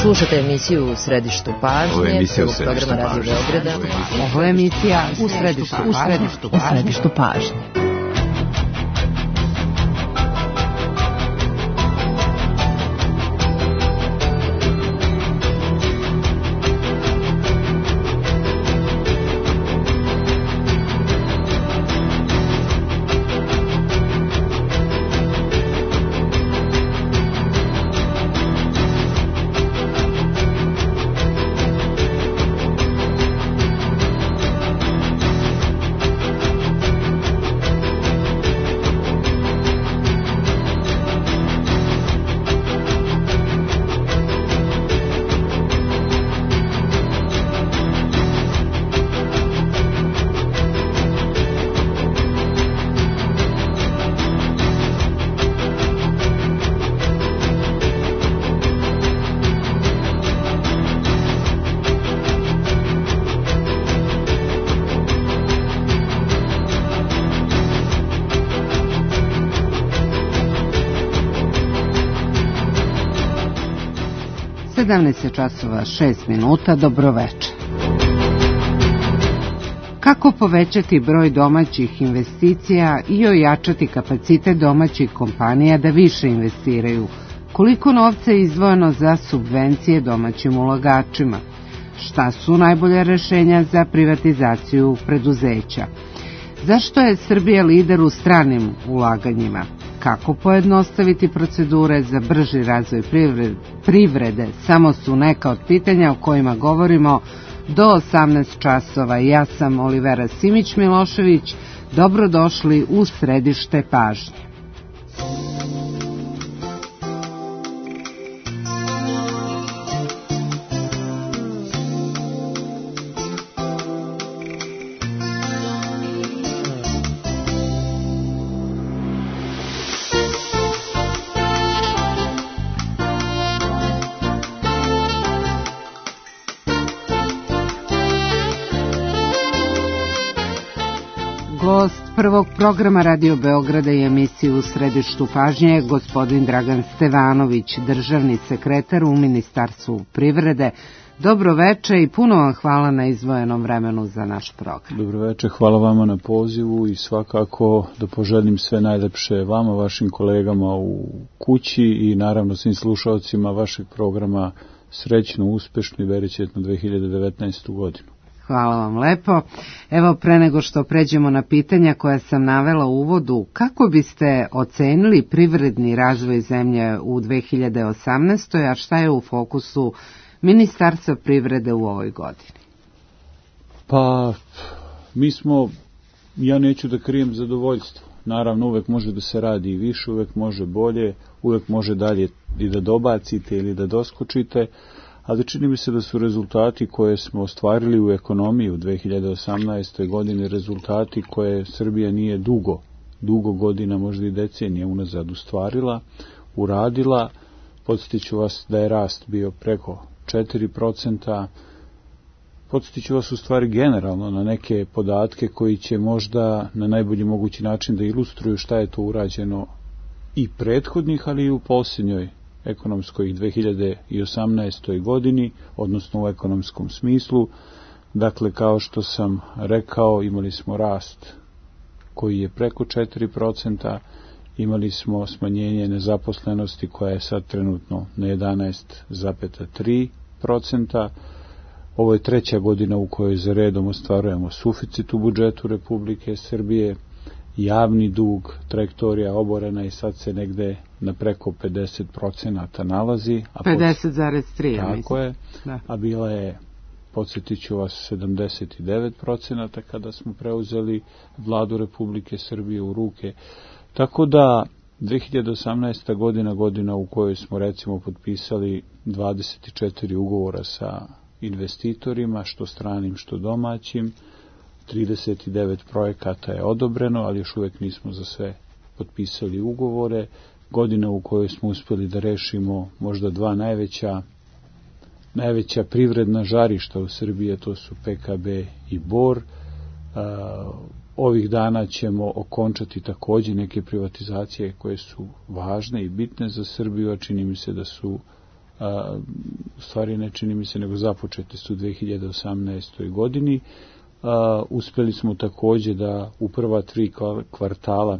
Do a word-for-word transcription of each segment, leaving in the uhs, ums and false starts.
Slušate emisiju U središtu pažnje, prvog programa Radio Beograda. Ovo je emisija U središtu, u središtu, u središtu pažnje. sedamnaest časova šest minuta, dobroveče. Kako povećati broj domaćih investicija i ojačati kapacitet domaćih kompanija da više investiraju? Koliko novca je izdvojeno za subvencije domaćim ulagačima? Šta su najbolja rešenja za privatizaciju preduzeća? Zašto je Srbija lider u stranim ulaganjima? Kako pojednostaviti procedure za brži razvoj privrede? Samo su neka od pitanja o kojima govorimo do osamnaest časova. Ja sam Olivera Simić-Milošević. Dobrodošli u središte pažnje. Gost prvog programa Radio Beograda i emisiju U središtu pažnje je gospodin Dragan Stevanović, državni sekretar u Ministarstvu privrede. Dobroveče i puno vam hvala na izdvojenom vremenu za naš program. Dobroveče, hvala vama na pozivu i svakako da poželim sve najlepše vama, vašim kolegama u kući i naravno svim slušalcima vašeg programa srećnu, uspešnu i veričetnu dve hiljade devetnaestu godinu. Hvala vam lepo. Evo, pre nego što pređemo na pitanja koja sam navela u uvodu, kako biste ocenili privredni razvoj zemlje u dve hiljade osamnaestoj. a šta je u fokusu Ministarstva privrede u ovoj godini? Pa, mi smo, ja neću da krijem zadovoljstvo. Naravno, uvek može da se radi i više, uvek može bolje, uvek može dalje i da dobacite ili da doskočite, ali čini mi se da su rezultati koje smo ostvarili u ekonomiji u dve hiljade osamnaestoj. godini rezultati koje Srbija nije dugo, dugo godina, možda i decenije unazad ustvarila, uradila. Podsjetit ću vas da je rast bio preko četiri procenta. Podsjetit ću vas u stvari generalno na neke podatke koji će možda na najbolji mogući način da ilustruju šta je to urađeno i prethodnih, ali i u posljednjoj ekonomskoj dve hiljade osamnaestoj. godini, odnosno u ekonomskom smislu. Dakle, kao što sam rekao, imali smo rast koji je preko četiri procenta, imali smo smanjenje nezaposlenosti koja je sad trenutno na jedanaest zarez tri procenta. Ovo je treća godina u kojoj za redom ostvarujemo suficit u budžetu Republike Srbije. Javni dug, trajektorija oborena i sad se negde na preko pedeset procenta nalazi. pedeset zarez tri, ja mislim. Tako je, da. A bila je, podsjetit ću vas, sedamdeset devet procenta kada smo preuzeli vladu Republike Srbije u ruke. Tako da dve hiljade osamnaesta. godina, godina u kojoj smo recimo potpisali dvadeset četiri ugovora sa investitorima, što stranim, što domaćim, trideset devet projekata je odobreno, ali još uvek nismo za sve potpisali ugovore. Godina u kojoj smo uspjeli da rešimo možda dva najveća, najveća privredna žarišta u Srbiji, to su P K B i Bor. Ovih dana ćemo okončati također neke privatizacije koje su važne i bitne za Srbiju, a čini mi se da su u stvari ne čini mi se nego započete su u dve hiljade osamnaestoj godini. A, uspjeli smo također da u prva tri kvartala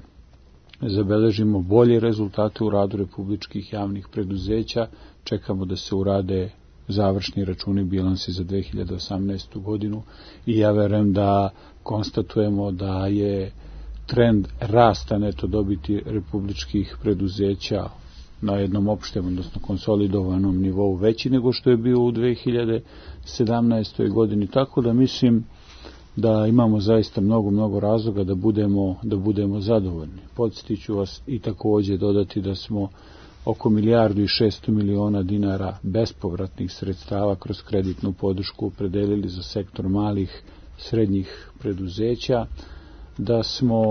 zabeležimo bolje rezultate u radu republičkih javnih preduzeća. Čekamo da se urade završni računi bilansi za dve hiljade osamnaestu godinu i ja verujem da konstatujemo da je trend rasta neto dobiti republičkih preduzeća na jednom opštem, odnosno konsolidovanom nivou veći nego što je bio u dve hiljade sedamnaestoj godini. Tako da mislim da imamo zaista mnogo, mnogo razloga da budemo, da budemo zadovoljni. Podsjetit ću vas i također dodati da smo oko milijardu i šesto miliona dinara bespovratnih sredstava kroz kreditnu podršku opredelili za sektor malih, srednjih preduzeća, da smo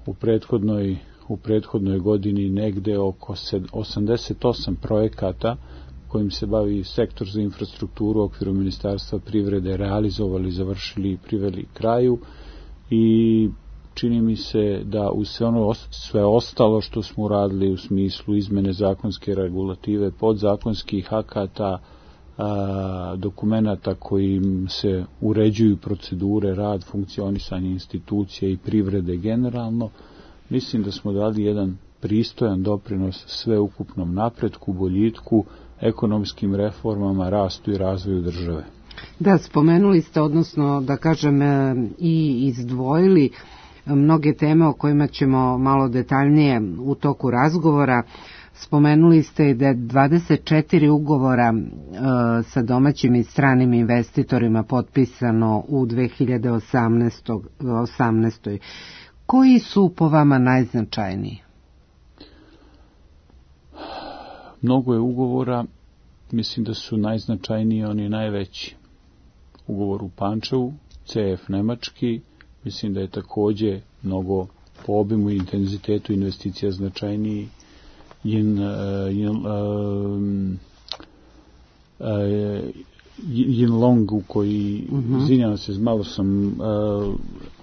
u prethodnoj, u prethodnoj godini negde oko osamdeset osam projekata kojim se bavi sektor za infrastrukturu u okviru Ministarstva privrede realizovali, završili i priveli kraju i čini mi se da uz sve ono sve ostalo što smo uradili u smislu izmene zakonske regulative, podzakonskih akata, a, dokumenata kojim se uređuju procedure, rad, funkcionisanje institucija i privrede generalno, mislim da smo dali jedan pristojan doprinos sveukupnom napretku, boljitku, ekonomskim reformama, rastu i razvoju države. Da, spomenuli ste, odnosno da kažem i izdvojili mnoge teme o kojima ćemo malo detaljnije u toku razgovora. Spomenuli ste da je dvadeset četiri ugovora e, sa domaćim i stranim investitorima potpisano u dve hiljade osamnaestoj. Koji su po vama najznačajniji? Mnogo je ugovora, mislim da su najznačajniji oni najveći. Ugovor u Pančevu, C F nemački, mislim da je također mnogo po obimu i intenzitetu investicija značajniji. Yin, yin, um, uh, Yin Long u koji, uh-huh. izvinjavam se, malo sam, uh,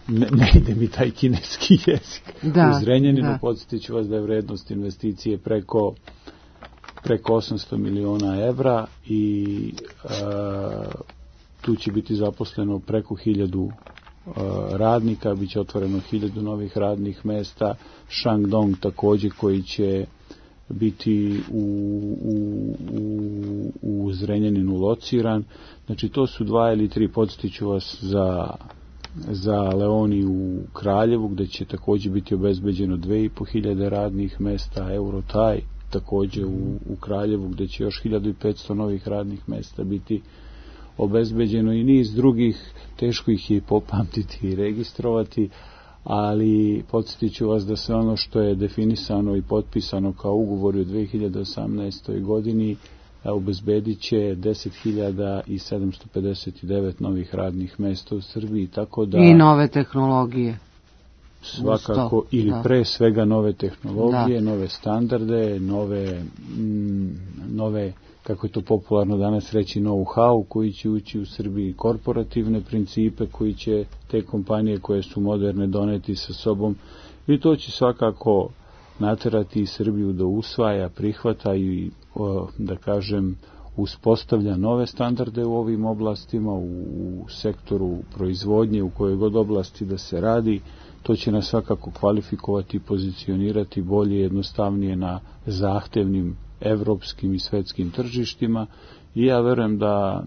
ne, ne ide mi taj kineski jezik. Da, u Zrenjaninu, podsjetit ću vas da je vrednost investicije preko preko osamsto miliona evra i uh, tu će biti zaposleno preko hiljadu uh, radnika, bit će otvoreno hiljadu novih radnih mesta. Shandong također koji će biti u, u, u, u Zrenjaninu lociran. Znači to su dva ili tri, podsjetit ću vas za, za Leoni u Kraljevu gdje će također biti obezbeđeno dve i po hiljade radnih mesta, Eurotaj također u, u Kraljevu gdje će još hiljadu i petsto novih radnih mesta biti obezbeđeno i niz drugih, teško ih je popamtiti i registrovati, ali podsjetit ću vas da sve ono što je definisano i potpisano kao ugovori u dve hiljade osamnaestoj godini obezbedit će deset hiljada sedamsto pedeset devet novih radnih mesta u Srbiji, tako da... I nove tehnologije. Svakako, ili da. Pre svega nove tehnologije, da. Nove standarde, nove, m, nove, kako je to popularno danas reći, know-how koji će ući u Srbiji, korporativne principe koji će te kompanije koje su moderne doneti sa sobom i to će svakako naterati Srbiju da usvaja, prihvata i, da kažem, uspostavlja nove standarde u ovim oblastima, u, u sektoru proizvodnje, u kojoj god oblasti da se radi. To će nas svakako kvalifikovati i pozicionirati bolje, jednostavnije na zahtevnim evropskim i svetskim tržištima i ja verujem da,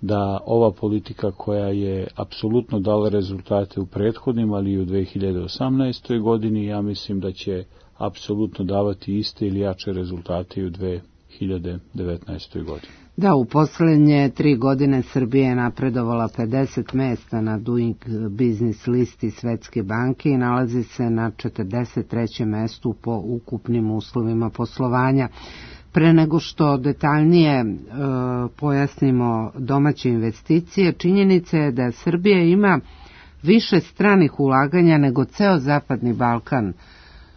da ova politika koja je apsolutno dala rezultate u prethodnim, ali i u dve hiljade osamnaestoj godini, ja mislim da će apsolutno davati iste ili jače rezultate i u dve hiljade devetnaestoj godini. Da, u poslednje tri godine Srbija je napredovala pedeset mesta na Doing Business listi Svetske banke i nalazi se na četrdeset trećem mestu po ukupnim uslovima poslovanja. Pre nego što detaljnije e, pojasnimo domaće investicije, činjenica je da Srbija ima više stranih ulaganja nego ceo Zapadni Balkan,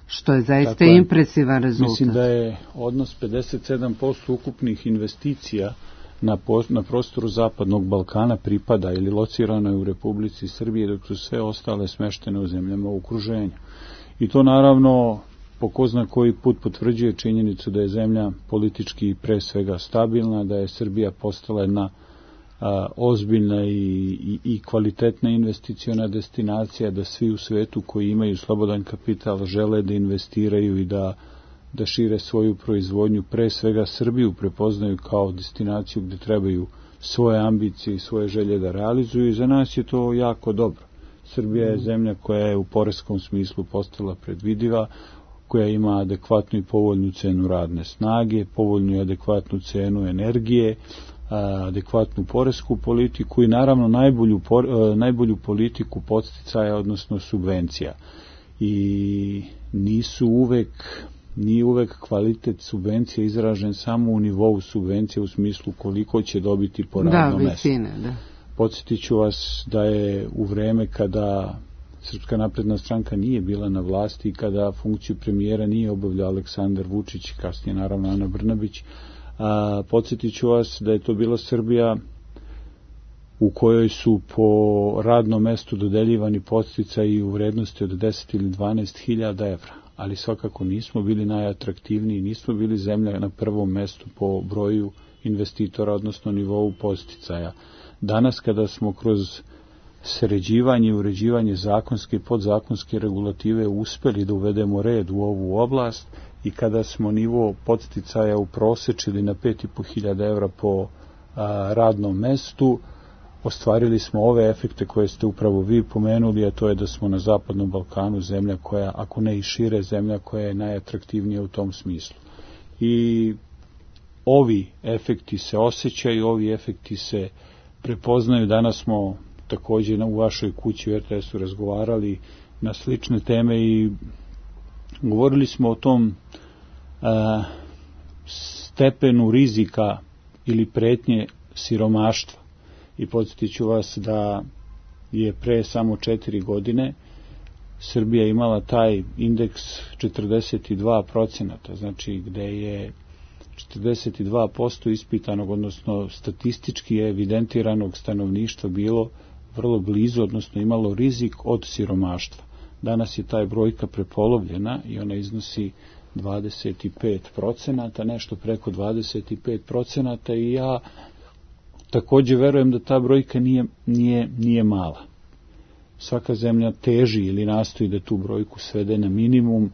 što je zaista Tako impresivan rezultat. Mislim da je odnos pedeset sedam posto ukupnih investicija na, na prostoru Zapadnog Balkana pripada ili locirano je u Republici Srbije, dok su sve ostale smeštene u zemljama u okruženju. I to naravno po ko zna koji put potvrđuje činjenicu da je zemlja politički pre svega stabilna, da je Srbija postala jedna a, ozbiljna i, i, i kvalitetna investiciona destinacija, da svi u svetu koji imaju slobodan kapital žele da investiraju i da, da šire svoju proizvodnju, pre svega Srbiju prepoznaju kao destinaciju gde trebaju svoje ambicije i svoje želje da realizuju i za nas je to jako dobro. Srbija je zemlja koja je u poreskom smislu postala predvidiva, koja ima adekvatnu i povoljnu cenu radne snage, povoljnu i adekvatnu cenu energije, adekvatnu poresku politiku i naravno najbolju, najbolju politiku podsticaja, odnosno subvencija. I nisu uvek, nije uvek kvalitet subvencija izražen samo u nivou subvencija u smislu koliko će dobiti po radnom da, mestu. Visine, da. Podsjetit ću vas da je u vreme kada Srpska napredna stranka nije bila na vlasti i kada funkciju premijera nije obavljao Aleksandar Vučić, kasnije naravno Ana Brnabić, a, podsjetit ću vas da je to bila Srbija u kojoj su po radnom mestu dodeljivani podsticaji u vrednosti od deset ili dvanaest hiljada evra, ali svakako nismo bili najatraktivniji, nismo bili zemlja na prvom mestu po broju investitora, odnosno nivou podsticaja. Danas kada smo kroz sređivanje i uređivanje zakonske i podzakonske regulative uspeli da uvedemo red u ovu oblast i kada smo nivo podsticaja uprosečili na pet i po hiljada evra po a, radnom mestu, ostvarili smo ove efekte koje ste upravo vi pomenuli, a to je da smo na Zapadnom Balkanu zemlja koja, ako ne i šire, zemlja koja je najatraktivnija u tom smislu. I ovi efekti se osjećaju, ovi efekti se prepoznaju. Danas smo također u vašoj kući u er te esu razgovarali na slične teme i govorili smo o tom a, stepenu rizika ili pretnje siromaštva. I podsjetit ću vas da je pre samo četiri godine Srbija imala taj indeks četrdeset dva procenta, znači gde je četrdeset dva posto ispitanog, odnosno statistički evidentiranog stanovništva bilo vrlo blizu, odnosno imalo rizik od siromaštva. Danas je taj brojka prepolovljena i ona iznosi dvadeset pet procenta, nešto preko dvadeset pet procenta i ja također verujem da ta brojka nije, nije, nije mala. Svaka zemlja teži ili nastoji da tu brojku svede na minimum.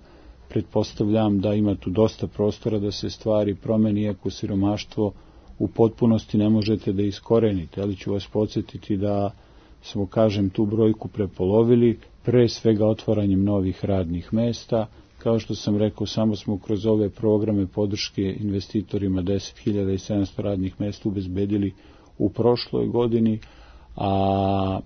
Pretpostavljam da ima tu dosta prostora da se stvari promeni, iako siromaštvo u potpunosti ne možete da iskorenite, ali ću vas podsjetiti da smo, kažem, tu brojku prepolovili, pre svega otvaranjem novih radnih mesta. Kao što sam rekao, samo smo kroz ove programe podrške investitorima deset hiljada sedamsto radnih mesta ubezbedili u prošloj godini, a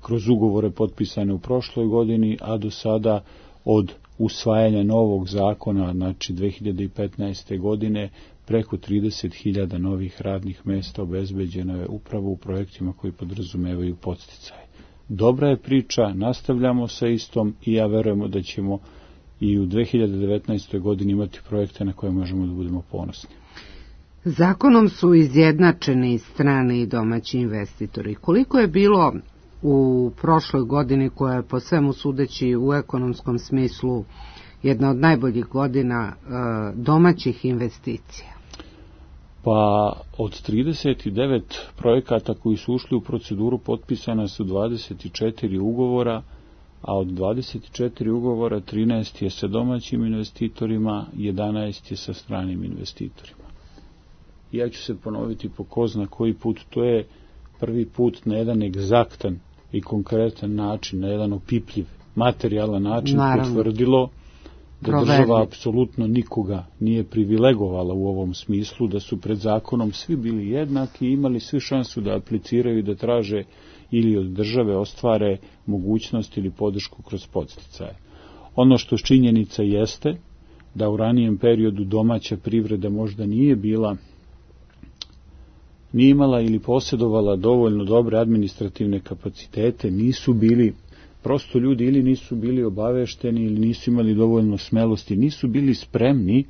kroz ugovore potpisane u prošloj godini, a do sada od usvajanja novog zakona, znači dve hiljade petnaeste. godine, preko trideset hiljada novih radnih mesta obezbeđeno je upravo u projektima koji podrazumevaju podsticaje. Dobra je priča, nastavljamo sa istom i ja verujemo da ćemo i u dve hiljade devetnaestoj. godini imati projekte na koje možemo da budemo ponosni. Zakonom su izjednačeni strani i domaći investitori. Koliko je bilo u prošloj godini, koja je po svemu sudeći u ekonomskom smislu jedna od najboljih godina, domaćih investicija? Pa od trideset devet projekata koji su ušli u proceduru potpisana su dvadeset četiri ugovora, a od dvadeset četiri ugovora trinaest je sa domaćim investitorima, jedanaest je sa stranim investitorima. Ja ću se ponoviti po ko zna koji put, to je prvi put na jedan egzaktan i konkretan način, na jedan opipljiv, materijalan način Naravno. potvrdilo da Proverni. država apsolutno nikoga nije privilegovala u ovom smislu, da su pred zakonom svi bili jednaki i imali svi šansu da apliciraju i da traže ili od države ostvare mogućnost ili podršku kroz podsticaje. Ono što činjenica jeste da u ranijem periodu domaća privreda možda nije bila nije imala ili posjedovala dovoljno dobre administrativne kapacitete, nisu bili, prosto ljudi ili nisu bili obavešteni ili nisu imali dovoljno smelosti, nisu bili spremni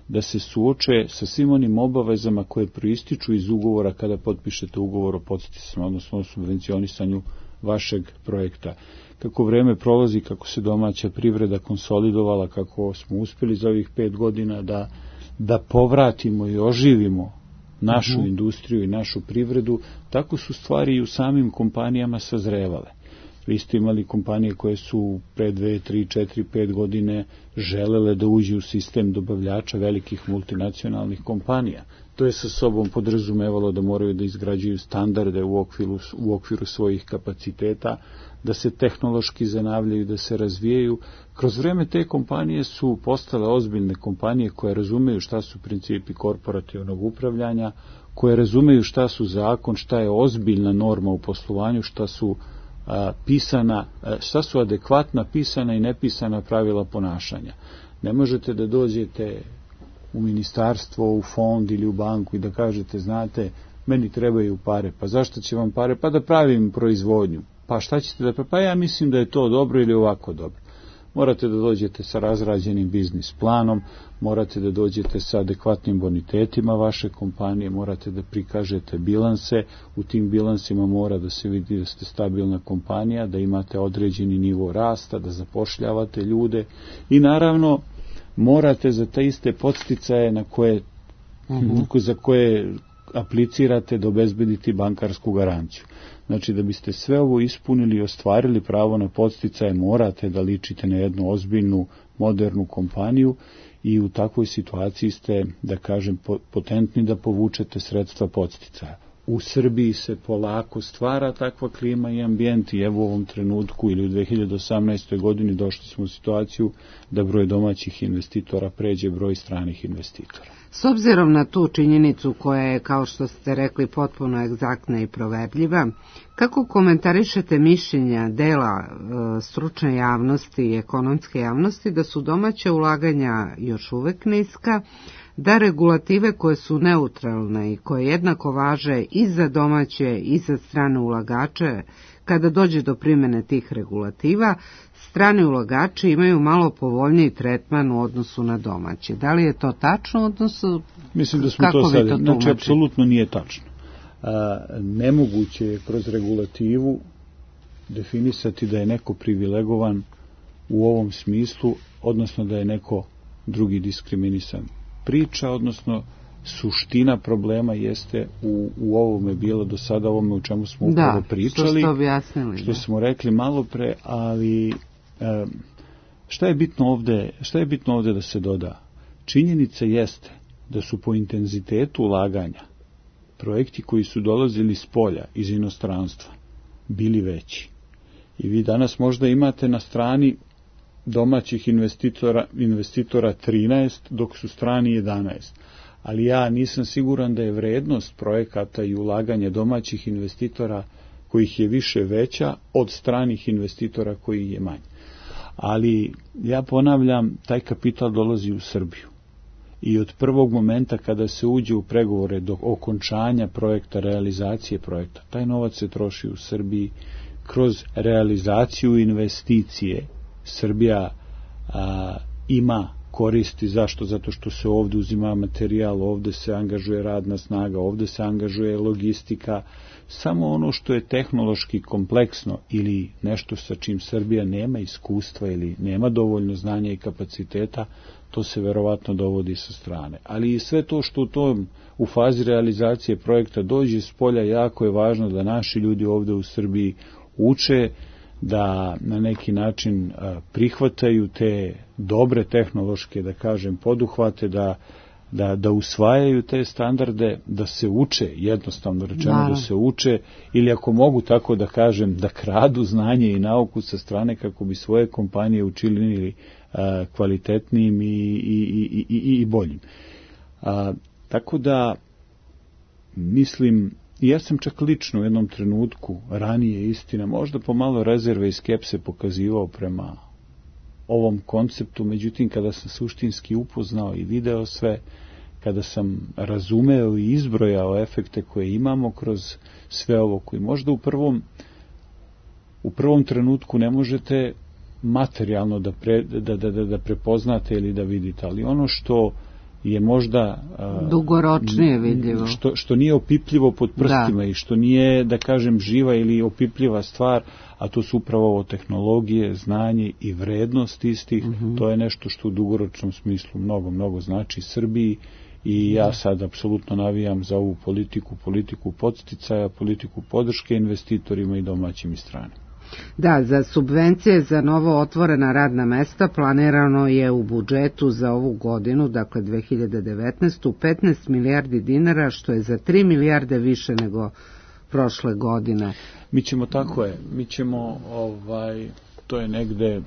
da se suoče sa svim onim obavezama koje proističu iz ugovora kada potpišete ugovor o podsticajima, odnosno o subvencionisanju vašeg projekta. Kako vreme prolazi, kako se domaća privreda konsolidovala, kako smo uspjeli za ovih pet godina da, da povratimo i oživimo našu uh-huh. industriju i našu privredu, tako su stvari i u samim kompanijama sazrevale. Vi ste imali kompanije koje su pre dve, tri, četiri, pet godine želele da uđu u sistem dobavljača velikih multinacionalnih kompanija. To je sa sobom podrazumevalo da moraju da izgrađuju standarde u okviru, u okviru svojih kapaciteta, da se tehnološki zanavljaju, da se razvijaju. Kroz vreme te kompanije su postale ozbiljne kompanije koje razumeju šta su principi korporativnog upravljanja, koje razumeju šta su zakon, šta je ozbiljna norma u poslovanju, šta su a, pisana, a, šta su adekvatna pisana i nepisana pravila ponašanja. Ne možete da dođete u ministarstvo, u fond ili u banku i da kažete, znate, meni trebaju pare. Pa zašto će vam pare? Pa da pravim proizvodnju. Pa šta ćete da... Pa ja mislim da je to dobro ili ovako dobro. Morate da dođete sa razrađenim biznis planom, morate da dođete sa adekvatnim bonitetima vaše kompanije, morate da prikažete bilanse, u tim bilansima mora da se vidi da ste stabilna kompanija, da imate određeni nivo rasta, da zapošljavate ljude i naravno morate za te iste podsticaje na koje, uh-huh. za koje aplicirate da obezbediti bankarsku garanciju. Znači da biste sve ovo ispunili i ostvarili pravo na podsticaje, morate da ličite na jednu ozbiljnu, modernu kompaniju i u takvoj situaciji ste, da kažem, potentni da povučete sredstva podsticaja. U Srbiji se polako stvara takva klima i ambijent i evo u ovom trenutku ili u dve hiljade osamnaestoj godini došli smo u situaciju da broj domaćih investitora pređe broj stranih investitora. S obzirom na tu činjenicu koja je, kao što ste rekli, potpuno egzaktna i proverljiva, kako komentarišete mišljenja dela e, stručne javnosti i ekonomske javnosti da su domaća ulaganja još uvek niska, da regulative koje su neutralne i koje jednako važe i za domaće i za strane ulagače, kada dođe do primjene tih regulativa, strani ulagači imaju malo povoljniji tretman u odnosu na domaće. Da li je to tačno? Odnosu, Mislim da smo to sad, znači apsolutno nije tačno. A, nemoguće je kroz regulativu definisati da je neko privilegovan u ovom smislu, odnosno da je neko drugi diskriminisan. Priča, odnosno suština problema jeste u, u ovome bilo do sada, ovome u čemu smo upravo da, pričali, što, objasnili, što da. smo rekli malo pre, ali e, šta je bitno ovde, šta je bitno ovde da se doda? Činjenica jeste da su po intenzitetu ulaganja projekti koji su dolazili s polja, iz inostranstva, bili veći. I vi danas možda imate na strani domaćih investitora, investitora trinaest, dok su strani jedanaest. Ali ja nisam siguran da je vrednost projekata i ulaganja domaćih investitora kojih je više veća od stranih investitora koji je manje. Ali ja ponavljam, taj kapital dolazi u Srbiju. I od prvog momenta kada se uđe u pregovore do okončanja projekta, realizacije projekta, taj novac se troši u Srbiji kroz realizaciju investicije. Srbija a, ima koristi. Zašto? Zato što se ovdje uzima materijal, ovdje se angažuje radna snaga, ovdje se angažuje logistika. Samo ono što je tehnološki kompleksno ili nešto sa čim Srbija nema iskustva ili nema dovoljno znanja i kapaciteta, to se verovatno dovodi sa strane. Ali i sve to što u tom, u fazi realizacije projekta dođe s polja, jako je važno da naši ljudi ovdje u Srbiji uče, da na neki način prihvataju te dobre tehnološke, da kažem, poduhvate, da, da, da usvajaju te standarde, da se uče, jednostavno rečeno da. da se uče, ili ako mogu tako da kažem, da kradu znanje i nauku sa strane kako bi svoje kompanije učinili a, kvalitetnijim i, i, i, i, i boljim. A, tako da, mislim, ja sam čak lično u jednom trenutku, ranije istina, možda pomalo rezerve i skepse pokazivao prema ovom konceptu, međutim kada sam suštinski upoznao i video sve, kada sam razumeo i izbrojao efekte koje imamo kroz sve ovo, koji možda u prvom u prvom trenutku ne možete materijalno da, pre, da, da, da, da prepoznate ili da vidite, ali ono što je možda dugoročnije vidljivo. Što, što nije opipljivo pod prstima da. I što nije, da kažem, živa ili opipljiva stvar, a to su upravo ovo tehnologije, znanje i vrednost istih, mm-hmm. to je nešto što u dugoročnom smislu mnogo, mnogo znači Srbiji i ja sad apsolutno navijam za ovu politiku, politiku podsticaja, politiku podrške investitorima i domaćim i stranim. Da, za subvencije za novo otvorena radna mesta planirano je u budžetu za ovu godinu, dakle dve hiljade devetnaestu. petnaest milijardi dinara, što je za tri milijarde više nego prošle godine. Mi ćemo, tako je, mi ćemo, ovaj, to je negde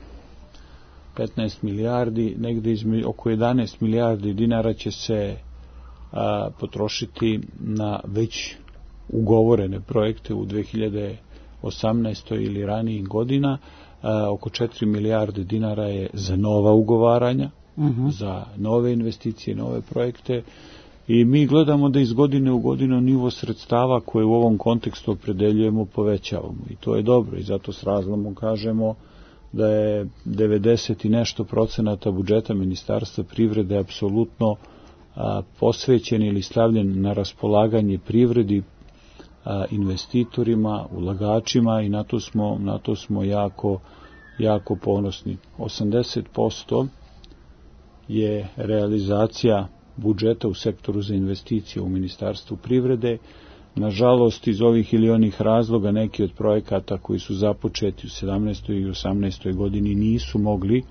petnaest milijardi, negde izme, oko jedanaest milijardi dinara će se a, potrošiti na već ugovorene projekte u dve hiljade osamnaestoj ili ranijih godina, a, oko četiri milijarde dinara je za nova ugovaranja, uh-huh. za nove investicije, nove projekte i mi gledamo da iz godine u godinu nivo sredstava koje u ovom kontekstu opredeljujemo povećavamo i to je dobro i zato s razlomom kažemo da je devedeset i nešto procenata budžeta Ministarstva privrede apsolutno a, posvećen ili stavljen na raspolaganje privredi, a, investitorima, ulagačima i na to smo, na to smo jako, jako ponosni. osamdeset posto je realizacija budžeta u sektoru za investicije u Ministarstvu privrede. Nažalost, iz ovih ili onih razloga neki od projekata koji su započeti u sedamnaestoj i osamnaestoj godini nisu mogli,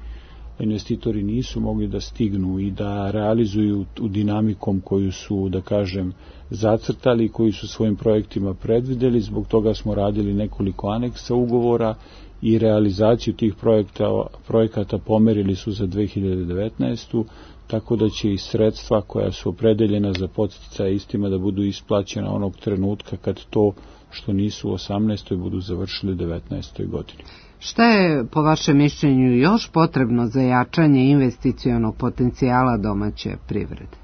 investitori nisu mogli da stignu i da realizuju u dinamikom koju su, da kažem, zacrtali, koji su svojim projektima predvideli. Zbog toga smo radili nekoliko aneksa ugovora i realizaciju tih projekta, projekata pomerili su za dve hiljade devetnaestu. Tako da će i sredstva koja su opredeljena za podsticaje istima da budu isplaćena onog trenutka kad to što nisu u osamnaestoj budu završili u devetnaestoj godini. Šta je po vašem mišljenju još potrebno za jačanje investicionog potencijala domaće privrede?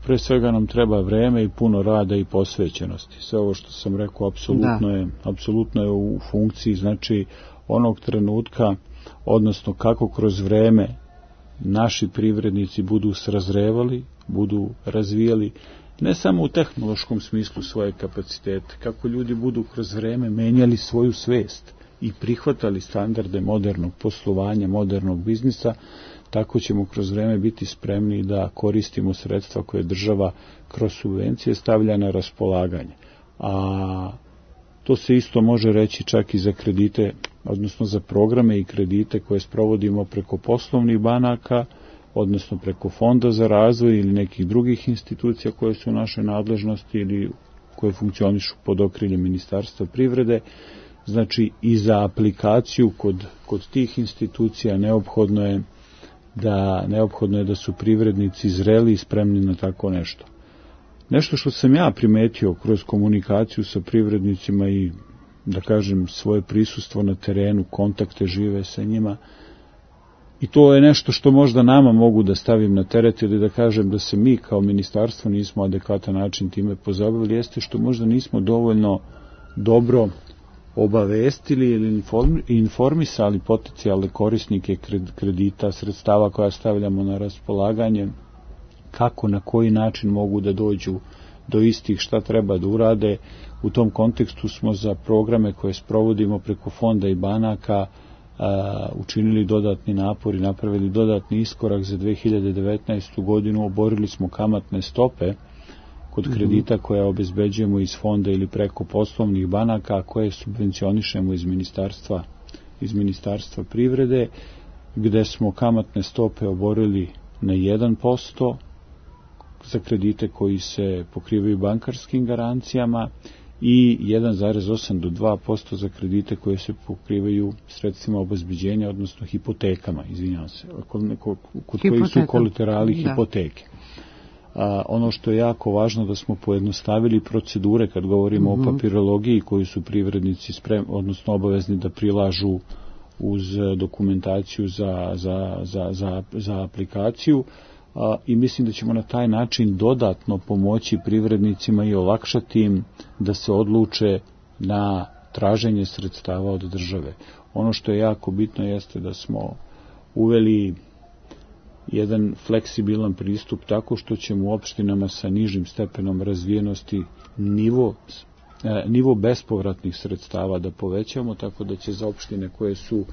Pre svega nam treba vreme i puno rada i posvećenosti. Sve ovo što sam rekao apsolutno je, apsolutno je u funkciji, znači onog trenutka, odnosno kako kroz vreme naši privrednici budu srazrevali, budu razvijali ne samo u tehnološkom smislu svoje kapacitete, kako ljudi budu kroz vreme menjali svoju svest i prihvatali standarde modernog poslovanja, modernog biznisa, tako ćemo kroz vreme biti spremni da koristimo sredstva koje država kroz subvencije stavlja na raspolaganje. A to se isto može reći čak i za kredite, odnosno za programe i kredite koje sprovodimo preko poslovnih banaka, odnosno preko Fonda za razvoj ili nekih drugih institucija koje su u našoj nadležnosti ili koje funkcionišu pod okriljem Ministarstva privrede. Znači i za aplikaciju kod, kod tih institucija neophodno je da neophodno je da su privrednici zreli i spremni na tako nešto. Nešto što sam ja primetio kroz komunikaciju sa privrednicima i, da kažem, svoje prisustvo na terenu, kontakte žive sa njima, i to je nešto što možda nama mogu da stavim na teret ili da kažem da se mi kao ministarstvo nismo adekvatan način time pozabavili, jeste što možda nismo dovoljno dobro obavestili ili informisali potencijalne korisnike kredita, sredstava koja stavljamo na raspolaganje, kako, na koji način mogu da dođu do istih, šta treba da urade. U tom kontekstu smo za programe koje sprovodimo preko fonda i banaka a, učinili dodatni napor i napravili dodatni iskorak za dve hiljade devetnaestu godinu. Oborili smo kamatne stope kod kredita koje obezbeđujemo iz fonda ili preko poslovnih banaka, koje subvencionišemo iz ministarstva, iz ministarstva privrede, gde smo kamatne stope oborili na jedan posto za kredite koji se pokrivaju bankarskim garancijama i jedan zarez osam do dva posto za kredite koje se pokrivaju sredstvima obezbeđenja, odnosno hipotekama, izvinjavam se, kod, kod, kod kojih su kolaterali hipoteke. A, ono što je jako važno da smo pojednostavili procedure kad govorimo mm-hmm. o papirologiji koju su privrednici sprem, odnosno obavezni da prilažu uz dokumentaciju za, za, za, za, za aplikaciju. A, i mislim da ćemo na taj način dodatno pomoći privrednicima i olakšati im da se odluče na traženje sredstava od države. Ono što je jako bitno jeste da smo uveli jedan fleksibilan pristup tako što ćemo u opštinama sa nižim stepenom razvijenosti nivo, nivo bespovratnih sredstava da povećamo, tako da će za opštine koje su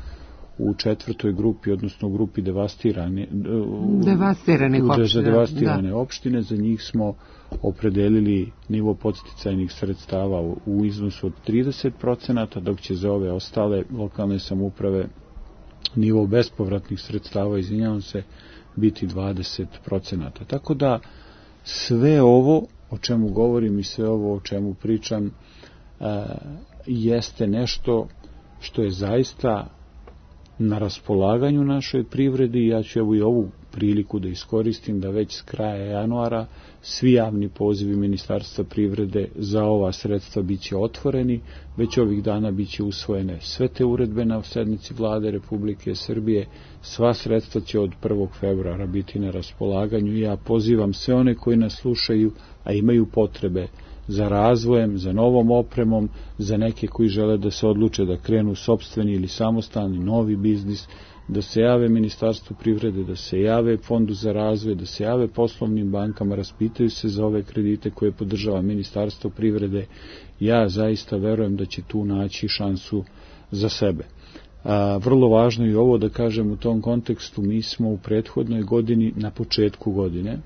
u četvrtoj grupi, odnosno u grupi devastirane, devastirane opštine, devastirane da. opštine, za njih smo opredelili nivo podsticajnih sredstava u, u iznosu od trideset procenata, dok će za ove ostale lokalne samouprave nivo bespovratnih sredstava, izvinjavam se, biti dvadeset procenata. Tako da sve ovo o čemu govorim i sve ovo o čemu pričam a, jeste nešto što je zaista na raspolaganju našoj privredi. Ja ću evo i ovu priliku da iskoristim da već s kraja januara svi javni pozivi Ministarstva privrede za ova sredstva biće otvoreni, već ovih dana biće usvojene sve te uredbe na sednici Vlade Republike Srbije, sva sredstva će od prvog februara biti na raspolaganju i ja pozivam sve one koji nas slušaju, a imaju potrebe za razvojem, za novom opremom, za neke koji žele da se odluče da krenu sopstveni ili samostalni novi biznis, da se jave Ministarstvu privrede, da se jave Fondu za razvoj, da se jave poslovnim bankama, raspitaju se za ove kredite koje podržava Ministarstvo privrede. Ja zaista verujem da će tu naći šansu za sebe. A, vrlo važno je ovo da kažem u tom kontekstu, mi smo u prethodnoj godini, na početku godine,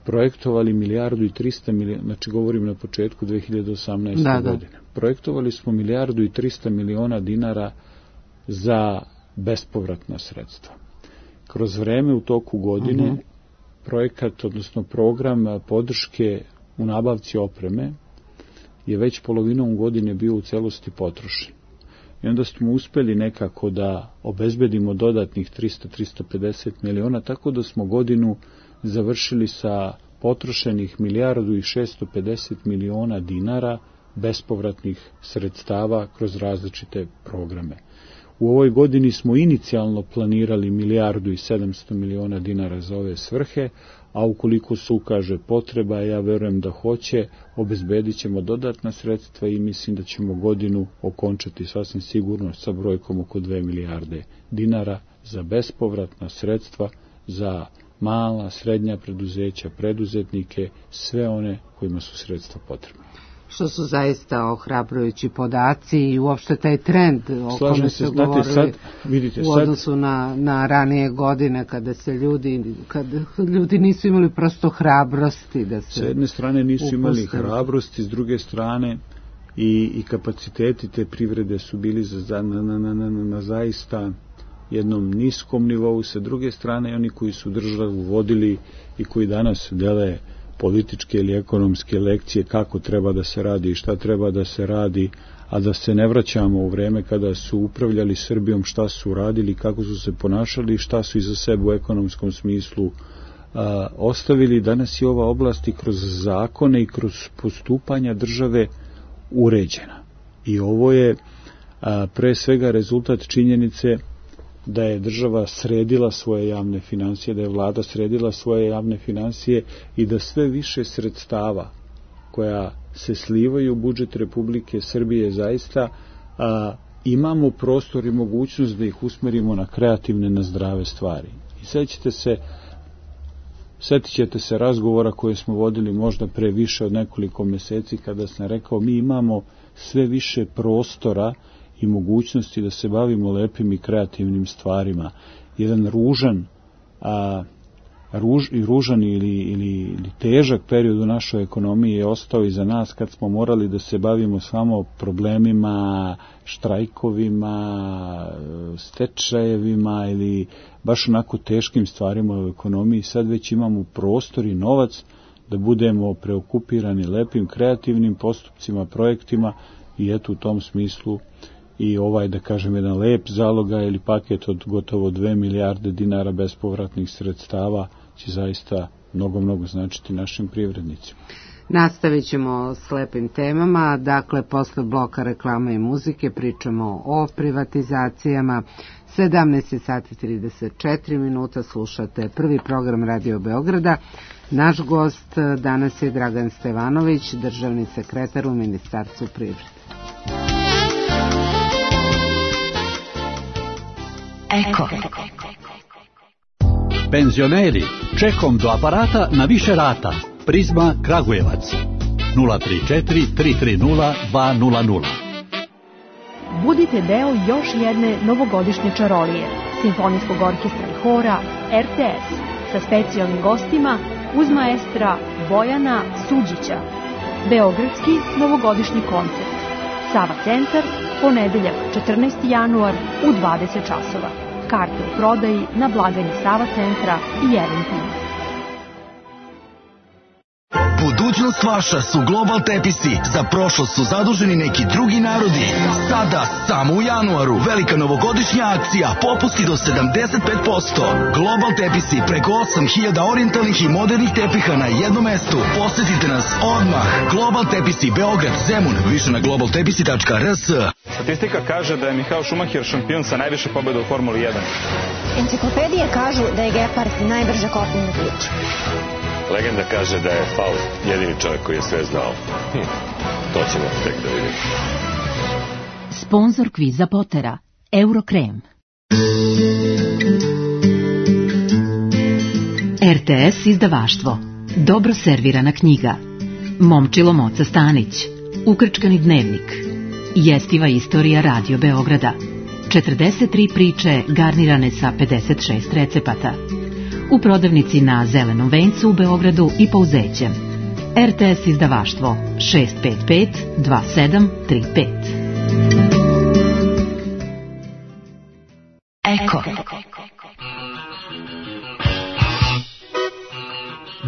projektovali milijardu i trista miliona, znači govorim na početku dve hiljade osamnaeste. Da, da. godine. Projektovali smo milijardu i trista miliona dinara za bespovratna sredstva. Kroz vreme u toku godine uh-huh. projekat, odnosno program podrške u nabavci opreme je već polovinom godine bio u celosti potrošen. I onda smo uspeli nekako da obezbedimo dodatnih trista do trista pedeset miliona, tako da smo godinu završili sa potrošenih milijardu i šesto pedeset miliona dinara bespovratnih sredstava kroz različite programe. U ovoj godini smo inicijalno planirali milijardu i sedamsto miliona dinara za ove svrhe, a ukoliko se ukaže potreba, ja verujem da hoće, obezbedit ćemo dodatna sredstva i mislim da ćemo godinu okončati sasvim sigurno sa brojkom oko dve milijarde dinara za bespovratna sredstva za mala, srednja preduzeća, preduzetnike, sve one kojima su sredstva potrebna. Što su zaista ohrabrujući podaci i uopšte taj trend o kome se govorili sad, vidite, u odnosu sad, na, na ranije godine kada se ljudi, kada ljudi nisu imali prosto hrabrosti da se... S jedne strane nisu upuste. imali hrabrosti, s druge strane i, i kapaciteti te privrede su bili za, na, na, na, na, na zaista jednom niskom nivou, sa druge strane oni koji su državu vodili i koji danas dele političke ili ekonomske lekcije kako treba da se radi i šta treba da se radi, a da se ne vraćamo u vreme kada su upravljali Srbijom, šta su radili, kako su se ponašali i šta su iza sebe u ekonomskom smislu a, ostavili. Danas je ova oblast i kroz zakone i kroz postupanja države uređena. I ovo je a, pre svega rezultat činjenice da je država sredila svoje javne finansije, da je vlada sredila svoje javne finansije i da sve više sredstava koja se slivaju u budžet Republike Srbije zaista a, imamo prostor i mogućnost da ih usmerimo na kreativne, na zdrave stvari. I sećate se, setit ćete se razgovora koje smo vodili možda pre više od nekoliko meseci kada sam rekao mi imamo sve više prostora i mogućnosti da se bavimo lepim i kreativnim stvarima. Jedan ružan, a, ruž, i ružan ili, ili, ili težak period u našoj ekonomiji je ostao iza nas kad smo morali da se bavimo samo problemima, štrajkovima, stečajevima ili baš onako teškim stvarima u ekonomiji. Sad već imamo prostor i novac da budemo preokupirani lepim, kreativnim postupcima, projektima i eto u tom smislu i ovaj, da kažem, jedan lep zaloga ili paket od gotovo dve milijarde dinara bespovratnih sredstava će zaista mnogo, mnogo značiti našim privrednicima. Nastavit ćemo s lepim temama, dakle, posle bloka reklame i muzike pričamo o privatizacijama. sedamnaest sati trideset četiri minuta, slušate prvi program Radio Beograda. Naš gost danas je Dragan Stevanović, državni sekretar u Ministarstvu privrede. Eko. Penzioneri, čekom do aparata na više rata. Prizma Kragujevac. nula tri četiri tri tri nula dva nula nula. Budite deo još jedne novogodišnje čarolije, simfonijskog orkestra i hora R T S sa specijalnim gostima uz maestra Bojana Suđića. Beogradski novogodišnji koncert. Sava centar, ponedeljak četrnaesti januar u dvadeset časova. Karte u prodaji na blagajni Sava centra i Eventim. Budućnost vaša su Global Tepisi. Za prošlost su zaduženi neki drugi narodi. Sada, samo u januaru, velika novogodišnja akcija, popusti do sedamdeset pet posto. Global Tepisi, preko osam hiljada orijentalnih i modernih tepiha na jednom mestu. Posetite nas odmah. Global Tepisi, Beograd, Zemun, više na global tepisi tačka r s. Statistika kaže da je Michael Schumacher šampion sa najviše pobjeda u Formuli jedan. Enciklopedije kažu da je Gepard najbrža kopnena priča. Legenda kaže da je Faust jedini čovjek koji je sve znao. Hm, to ćemo tek da vidimo. Sponzor kviza Potera, Eurokrem. R T S izdavaštvo, dobro servirana knjiga. Momčilo Moca Stanić, Ukrčkani dnevnik, jestiva istorija Radio Beograda, četrdeset tri priče garnirane sa pedeset šest recepata. U prodavnici na Zelenom vencu u Beogradu i Pouzećem. R T S izdavaštvo šest pet pet dva sedam tri pet. Eko.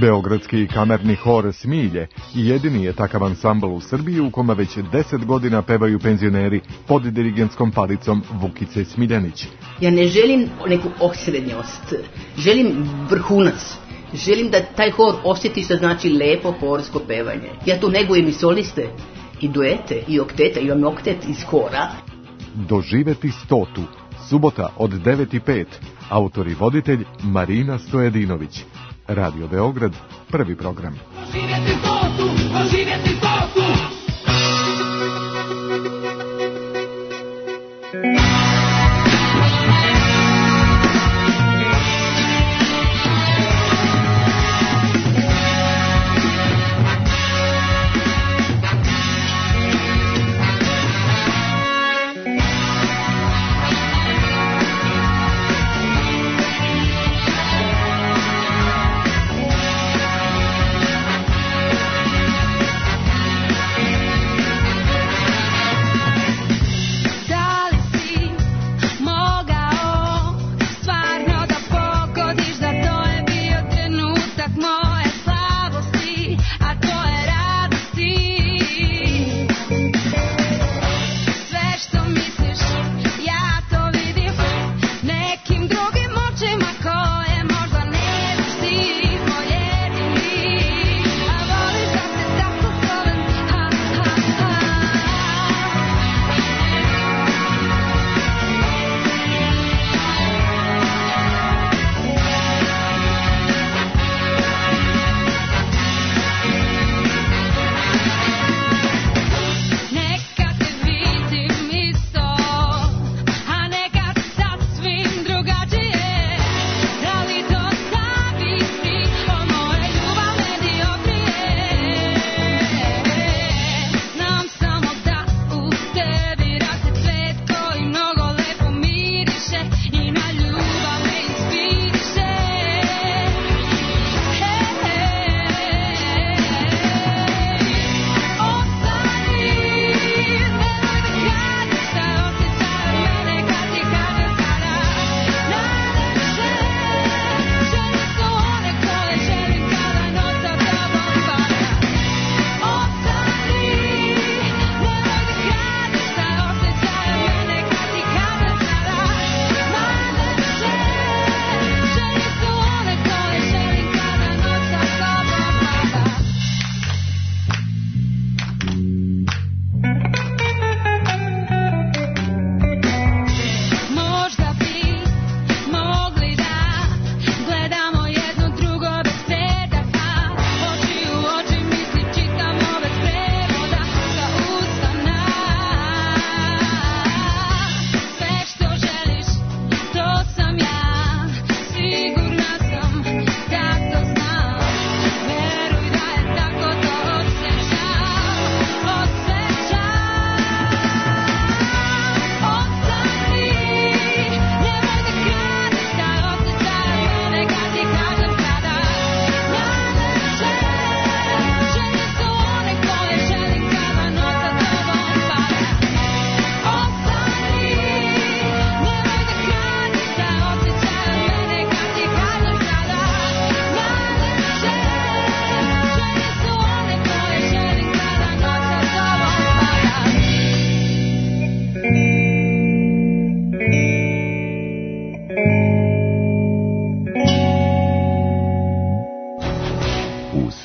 Beogradski kamerni hor Smilje jedini je takav ansambl u Srbiji u kome već deset godina pevaju penzioneri pod dirigentskom palicom Vukice Smiljanić. Ja ne želim neku osrednjost, želim vrhunac. Želim da taj hor osjeti što znači lepo horsko pevanje. Ja tu negujem i soliste, i duete, i oktete, imam oktet iz hora. Doživeti stotu, subota od devet i pet, autor i voditelj Marina Stojedinović. Radio Beograd, prvi program. Doživjeti stotu, doživjeti stotu.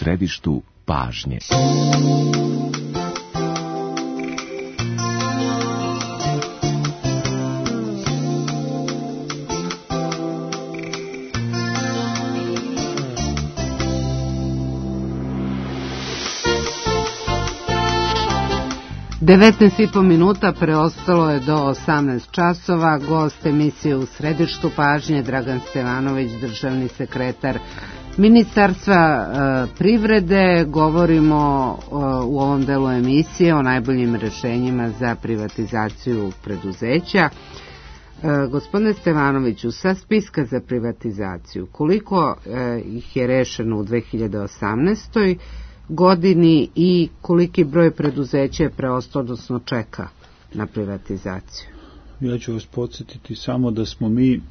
središtu pažnje. devetnaest i po minuta preostalo je do osamnaest časova. Gost emisije U središtu pažnje Dragan Stevanović, državni sekretar Ministarstva e, privrede. Govorimo e, u ovom delu emisije o najboljim rešenjima za privatizaciju preduzeća. E, gospodine Stevanoviću, sa spiska za privatizaciju, koliko e, ih je rešeno u dve hiljade osamnaestoj godini i koliki broj preduzeća je preostao, odnosno čeka na privatizaciju? Ja ću vas podsjetiti samo da smo mi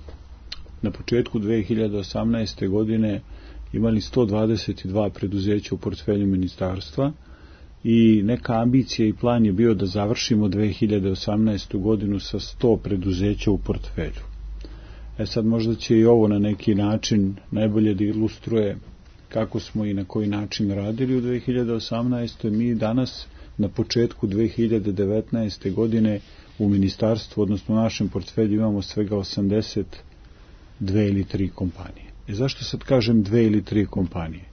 na početku dve hiljade osamnaeste. godine imali sto dvadeset dva preduzeća u portfelju ministarstva i neka ambicija i plan je bio da završimo dve hiljade osamnaestu. godinu sa sto preduzeća u portfelju. E sad možda će i ovo na neki način najbolje da ilustruje kako smo i na koji način radili u dve hiljade osamnaestoj. Mi danas na početku dve hiljade devetnaeste. godine u ministarstvu, odnosno u našem portfelju, imamo svega osamdeset dve ili tri kompanije. E zašto sad kažem dve ili tri kompanije?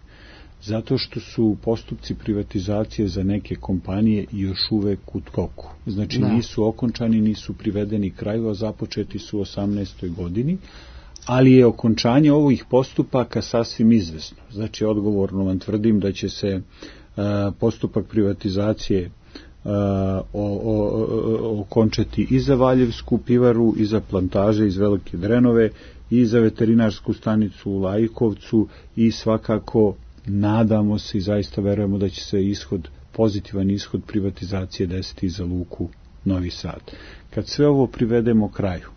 Zato što su postupci privatizacije za neke kompanije još uvek u toku. Znači da. Nisu okončani, nisu privedeni kraju, a započeti su u osamnaestoj. godini, ali je okončanje ovih postupaka sasvim izvesno. Znači, odgovorno vam tvrdim da će se uh, postupak privatizacije uh, o, o, okončati i za Valjevsku pivaru, i za plantaže iz Velike Drenove, i za veterinarsku stanicu u Lajkovcu, i svakako nadamo se i zaista verujemo da će se ishod, pozitivan ishod privatizacije desiti za luku Novi Sad. Kad sve ovo privedemo kraju,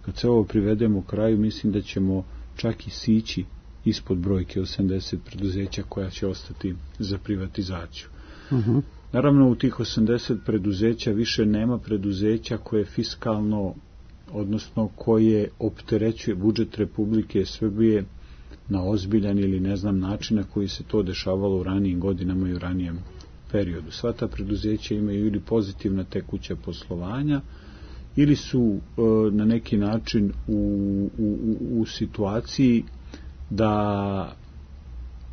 Kad se ovo privedemo kraju, mislim da ćemo čak i sići ispod brojke osamdeset preduzeća koja će ostati za privatizaciju. Uh-huh. Naravno, u tih osamdeset preduzeća više nema preduzeća koje fiskalno, odnosno koje opterećuje budžet Republike Srbije na ozbiljan ili ne znam način na koji se to dešavalo u ranijim godinama i u ranijem periodu. Sva ta preduzeća imaju ili pozitivna tekuća poslovanja, ili su e, na neki način u, u, u situaciji da,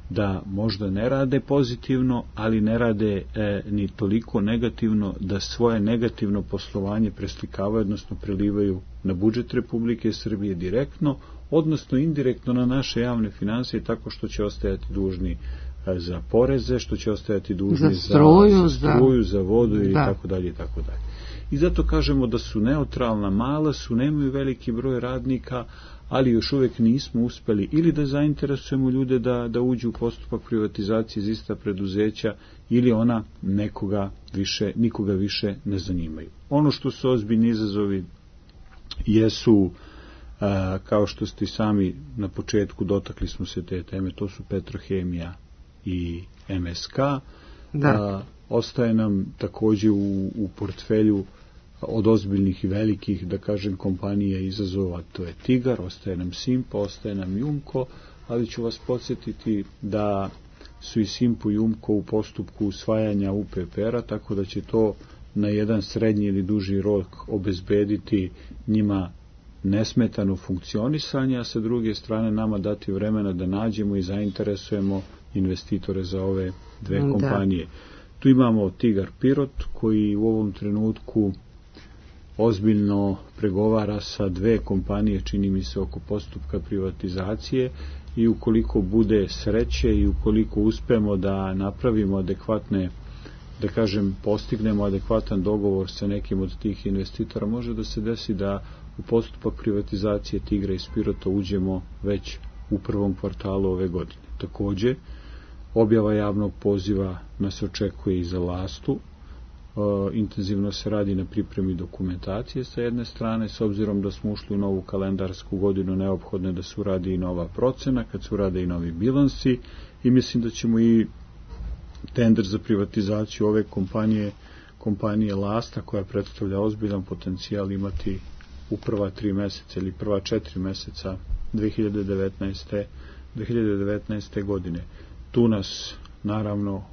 da možda ne rade pozitivno, ali ne rade e, ni toliko negativno da svoje negativno poslovanje preslikavaju, odnosno prelivaju na budžet Republike Srbije direktno, odnosno indirektno na naše javne finansije, tako što će ostajati dužni e, za poreze, što će ostajati dužni za struju, za, za, struju, za vodu i tako dalje i tako dalje. I zato kažemo da su neutralna, mala su, nemaju veliki broj radnika, ali još uvijek nismo uspeli ili da zainteresujemo ljude da, da uđu u postupak privatizacije iz ista preduzeća, ili ona nekoga više, nikoga više ne zanimaju. Ono što su ozbiljni izazovi jesu, a, kao što ste sami na početku dotakli smo se te teme, to su Petrohemija i M S K. Da. A, ostaje nam također u, u portfelju od ozbiljnih i velikih, da kažem, kompanija izazova, to je Tigar, ostaje nam Simpo, ostaje nam Jumko, ali ću vas podsjetiti da su i Simpo i Jumko u postupku usvajanja U P P R-a, tako da će to na jedan srednji ili duži rok obezbediti njima nesmetano funkcionisanje, a sa druge strane nama dati vremena da nađemo i zainteresujemo investitore za ove dve da. kompanije. Tu imamo Tigar Pirot, koji u ovom trenutku ozbiljno pregovara sa dve kompanije, čini mi se, oko postupka privatizacije, i ukoliko bude sreće i ukoliko uspemo da napravimo adekvatne, da kažem, postignemo adekvatan dogovor sa nekim od tih investitora, može da se desi da u postupak privatizacije Tigra i Pirota uđemo već u prvom kvartalu ove godine. Također, objava javnog poziva nas očekuje i za Lastu. E, intenzivno se radi na pripremi dokumentacije sa jedne strane, s obzirom da smo ušli u novu kalendarsku godinu, neophodno je da se uradi i nova procena, kad se urade i novi bilansi, i mislim da ćemo i tender za privatizaciju ove kompanije, kompanije Lasta, koja predstavlja ozbiljan potencijal, imati u prva tri meseca ili prva četiri meseca dve hiljade devetnaeste. dve hiljade devetnaeste. godine. tu nas naravno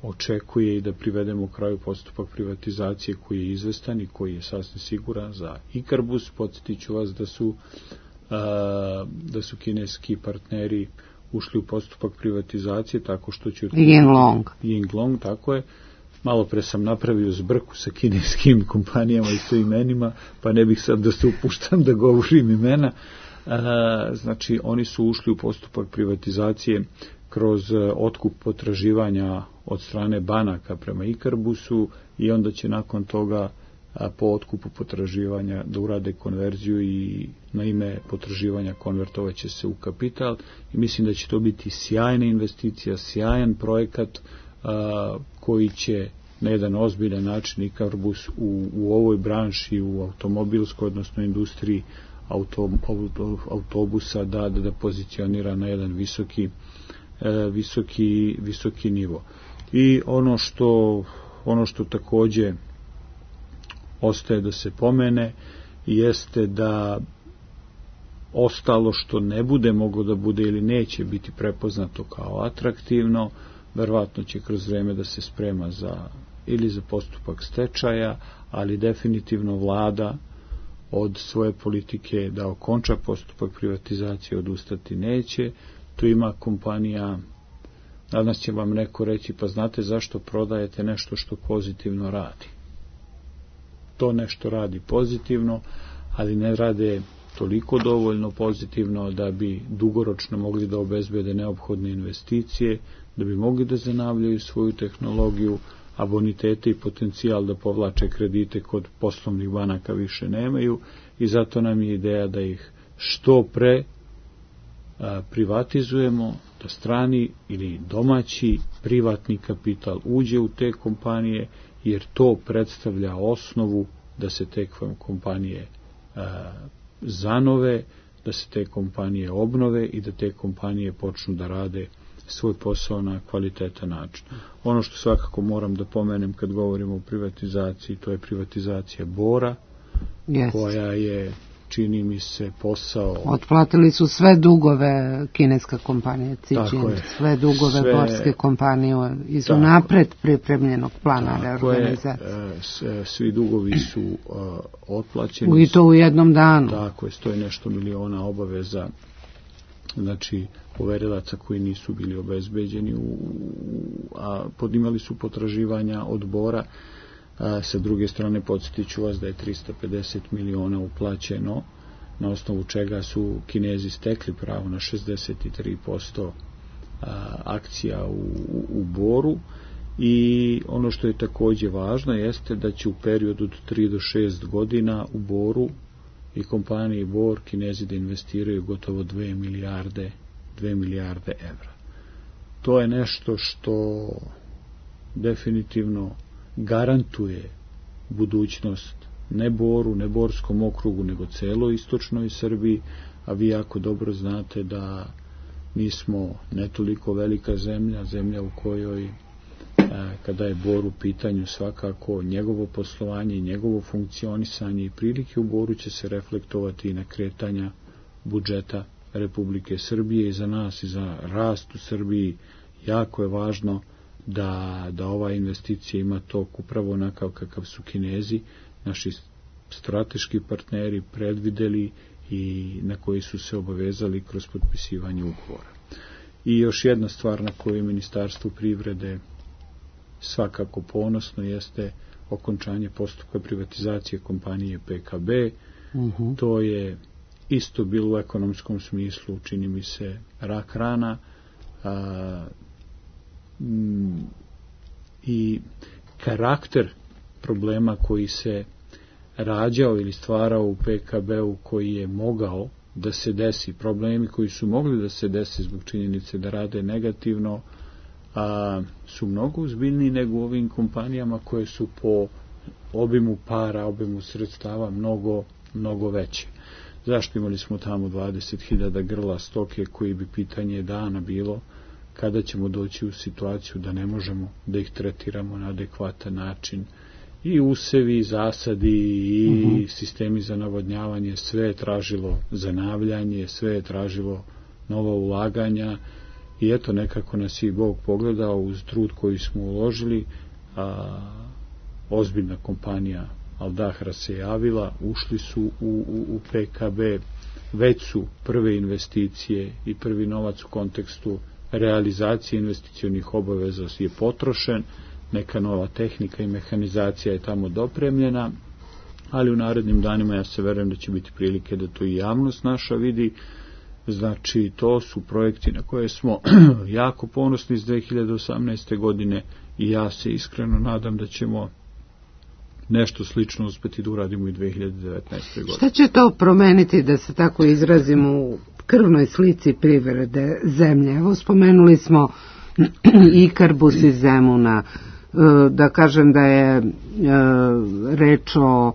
očekuje i da privedemo u kraju postupak privatizacije koji je izvestan i koji je sasvim siguran za Ikarbus. Podsjetit ću vas da su, a, da su kineski partneri ušli u postupak privatizacije tako što će... Yinglong. Yinglong, tako je. Malo pre sam napravio zbrku sa kineskim kompanijama i to imenima, pa ne bih sad da se upuštam da govorim imena. A, znači, oni su ušli u postupak privatizacije kroz otkup potraživanja od strane banaka prema Ikarbusu i onda će nakon toga a, po otkupu potraživanja da urade konverziju i na ime potraživanja konvertovat će se u kapital i mislim da će to biti sjajna investicija, sjajan projekat a, koji će na jedan ozbiljan način Ikarbus u, u ovoj branši, u automobilskoj, odnosno industriji auto, auto, autobusa da, da, da pozicionira na jedan visoki visoki, visoki nivo. I ono što, ono što takođe ostaje da se pomene jeste da ostalo što ne bude moglo da bude ili neće biti prepoznato kao atraktivno, verovatno će kroz vreme da se sprema za ili za postupak stečaja, ali definitivno vlada od svoje politike da okonča postupak privatizacije odustati neće. Tu ima kompanija, danas će vam neko reći, pa znate zašto prodajete nešto što pozitivno radi. To nešto radi pozitivno, ali ne rade toliko dovoljno pozitivno da bi dugoročno mogli da obezbede neophodne investicije, da bi mogli da zanavljaju svoju tehnologiju, a bonitete i potencijal da povlače kredite kod poslovnih banaka više nemaju i zato nam je ideja da ih što pre privatizujemo, da strani ili domaći privatni kapital uđe u te kompanije, jer to predstavlja osnovu da se te kompanije a, zanove, da se te kompanije obnove i da te kompanije počnu da rade svoj posao na kvalitetan način. Ono što svakako moram da pomenem kad govorimo o privatizaciji, to je privatizacija Bora, yes. koja je, čini mi se, posao... Otplatili su sve dugove kineska kompanija Cićin, sve dugove sve, borske kompanije iz unapred pripremljenog plana reorganizacije. Je, svi dugovi su uh, otplaćeni. I to u jednom danu. Tako je, stoji nešto miliona obaveza, znači poverilaca koji nisu bili obezbeđeni, u, a podimali su potraživanja od Bora. A, sa druge strane, podsjetit ću vas da je trista pedeset miliona uplaćeno, na osnovu čega su Kinezi stekli pravo na šezdeset tri posto a, akcija u, u Boru. I ono što je takođe važno jeste da će u periodu od tri do šest godina u Boru i kompaniji Bor Kinezi da investiraju gotovo dve milijarde, dve milijarde evra. To je nešto što definitivno garantuje budućnost ne Boru, ne Borskom okrugu, nego celoj istočnoj Srbiji, a vi jako dobro znate da mi smo ne toliko velika zemlja, zemlja u kojoj kada je Bor u pitanju svakako njegovo poslovanje i njegovo funkcionisanje i prilike u Boru će se reflektovati i na kretanja budžeta Republike Srbije i za nas i za rast u Srbiji jako je važno da, da ova investicija ima tok upravo onakav kakav su Kinezi, naši strateški partneri predvideli i na koji su se obavezali kroz potpisivanje ugovora. I još jedna stvar na koju Ministarstvo privrede svakako ponosno jeste okončanje postupka privatizacije kompanije P K B. Uh-huh. To je isto bilo u ekonomskom smislu, čini mi se, rak rana a, m, i karakter problema koji se rađao ili stvarao u P K B-u koji je mogao da se desi, problemi koji su mogli da se desi zbog činjenice da rade negativno, a, su mnogo uzbiljniji nego u ovim kompanijama koje su po obimu para, obimu sredstava mnogo, mnogo veće. Zašto imali smo tamo dvadeset hiljada grla stoke koji bi pitanje dana bilo kada ćemo doći u situaciju da ne možemo da ih tretiramo na adekvatan način. I usevi, i zasadi, i uh-huh. sistemi za navodnjavanje, sve je tražilo zanavljanje, sve je tražilo nova ulaganja i eto nekako nas i Bog pogledao uz trud koji smo uložili, a ozbiljna kompanija Al Dahra se javila, ušli su u, u, u P K B, već su prve investicije i prvi novac u kontekstu realizacije investicionih obaveza je potrošen, neka nova tehnika i mehanizacija je tamo dopremljena, ali u narednim danima ja se verujem da će biti prilike da to i javnost naša vidi. Znači, to su projekti na koje smo jako ponosni iz dve hiljade osamnaeste. godine i ja se iskreno nadam da ćemo nešto slično uspeti da uradimo i dve hiljade devetnaeste. godine. Šta će to promeniti, da se tako izrazimo, u krvnoj slici privrede zemlje? Evo, spomenuli smo Ikarbus iz Zemuna, da kažem da je reč o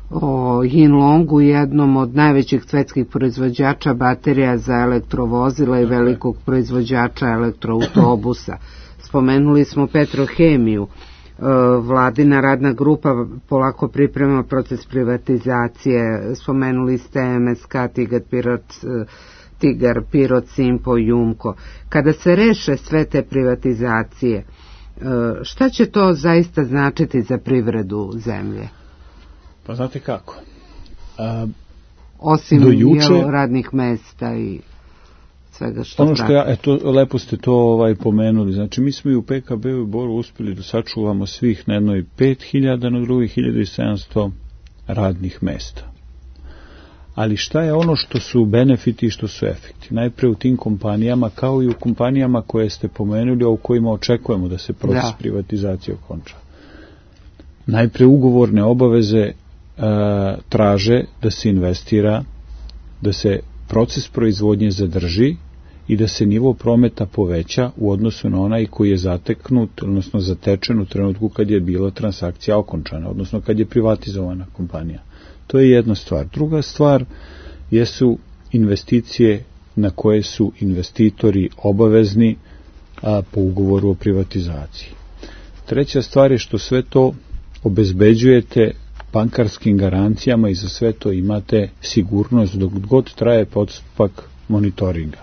o Yinlongu, jednom od najvećih svetskih proizvođača baterija za elektrovozila i velikog proizvođača elektroautobusa. Spomenuli smo Petrohemiju. Vladina radna grupa polako priprema proces privatizacije. Spomenuli ste M S K, Tigar, Pirot, Tigar, Pirot, Simpo, Jumko. Kada se reše sve te privatizacije, šta će to zaista značiti za privredu zemlje? Pa znate kako? A, Osim juče, jel, radnih mesta i svega što ono što ja, eto, lepo ste to ovaj, pomenuli. Znači, mi smo i u P K B-u i Boru uspjeli da sačuvamo svih na jednoj pet hiljada, na drugih hiljadu sedamsto radnih mesta. Ali šta je ono što su benefiti i što su efekti? Najpre u tim kompanijama, kao i u kompanijama koje ste pomenuli, a u kojima očekujemo da se proces da. privatizacije okonča. Najpre ugovorne obaveze E, traže da se investira, da se proces proizvodnje zadrži i da se nivo prometa poveća u odnosu na onaj koji je zateknut, odnosno zatečen u trenutku kad je bila transakcija okončana, odnosno kad je privatizovana kompanija. To je jedna stvar. Druga stvar jesu investicije na koje su investitori obavezni a, po ugovoru o privatizaciji. Treća stvar je što sve to obezbeđujete bankarskim garancijama i za sve to imate sigurnost dok god traje postupak monitoringa.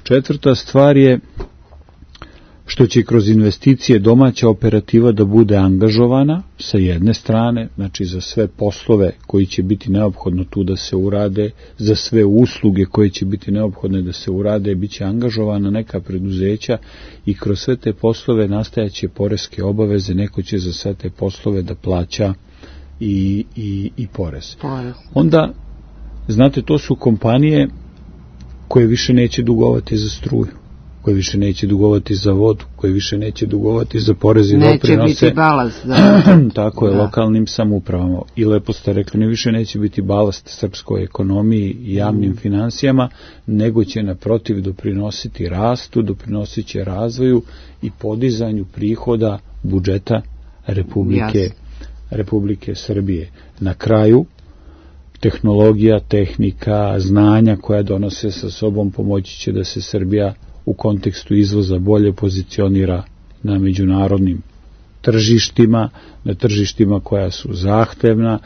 Četvrta stvar je što će kroz investicije domaća operativa da bude angažovana sa jedne strane, znači za sve poslove koji će biti neophodno tu da se urade, za sve usluge koje će biti neophodne da se urade, bit će angažovana neka preduzeća i kroz sve te poslove nastajaće poreske obaveze, neko će za sve te poslove da plaća i, i, i porez. porez. Onda, znate, to su kompanije koje više neće dugovati za struju, koje više neće dugovati za vodu, koje više neće dugovati za porez i doprinose. Neće biti balast. Da. Tako je, da. Lokalnim samoupravama. I lepo ste rekli, ne više neće biti balast srpskoj ekonomiji i javnim mm. financijama, nego će naprotiv doprinositi rastu, doprinosit će razvoju i podizanju prihoda budžeta Republike Jasne. Republike Srbije. Na kraju, tehnologija, tehnika, znanja koja donose sa sobom pomoći će da se Srbija u kontekstu izvoza bolje pozicionira na međunarodnim tržištima, na tržištima koja su zahtevna,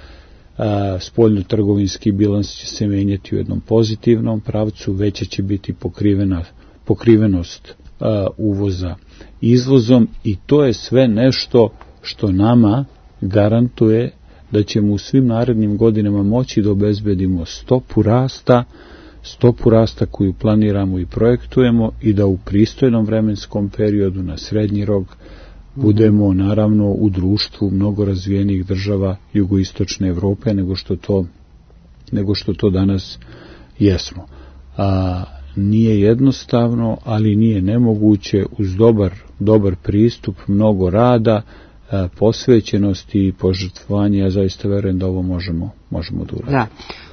spoljno-trgovinski bilans će se menjati u jednom pozitivnom pravcu, veća će biti pokrivena, pokrivenost a, uvoza izvozom i to je sve nešto što nama garantuje da ćemo u svim narednim godinama moći da obezbedimo stopu rasta, stopu rasta koju planiramo i projektujemo i da u pristojnom vremenskom periodu na srednji rok budemo naravno u društvu mnogo razvijenih država jugoistočne Evrope nego što to, nego što to danas jesmo. A, nije jednostavno, ali nije nemoguće uz dobar, dobar pristup, mnogo rada, posvećenosti i požrtvovanje, ja zaista verujem da ovo možemo, možemo da uradimo. Da.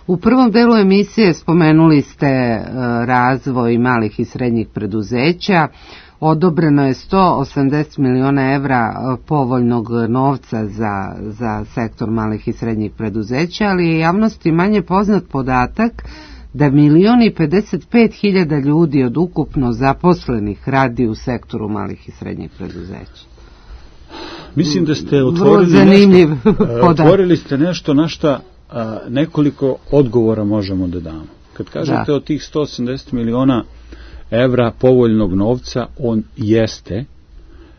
U prvom delu emisije spomenuli ste razvoj malih i srednjih preduzeća. Odobreno je sto osamdeset miliona evra povoljnog novca za, za sektor malih i srednjih preduzeća, ali je javnosti manje poznat podatak da milion i pedeset pet hiljada ljudi od ukupno zaposlenih radi u sektoru malih i srednjih preduzeća. Mislim da ste otvorili nešto, otvorili ste nešto na šta nekoliko odgovora možemo da damo. Kad kažete da. Od tih sto osamdeset miliona evra povoljnog novca, on jeste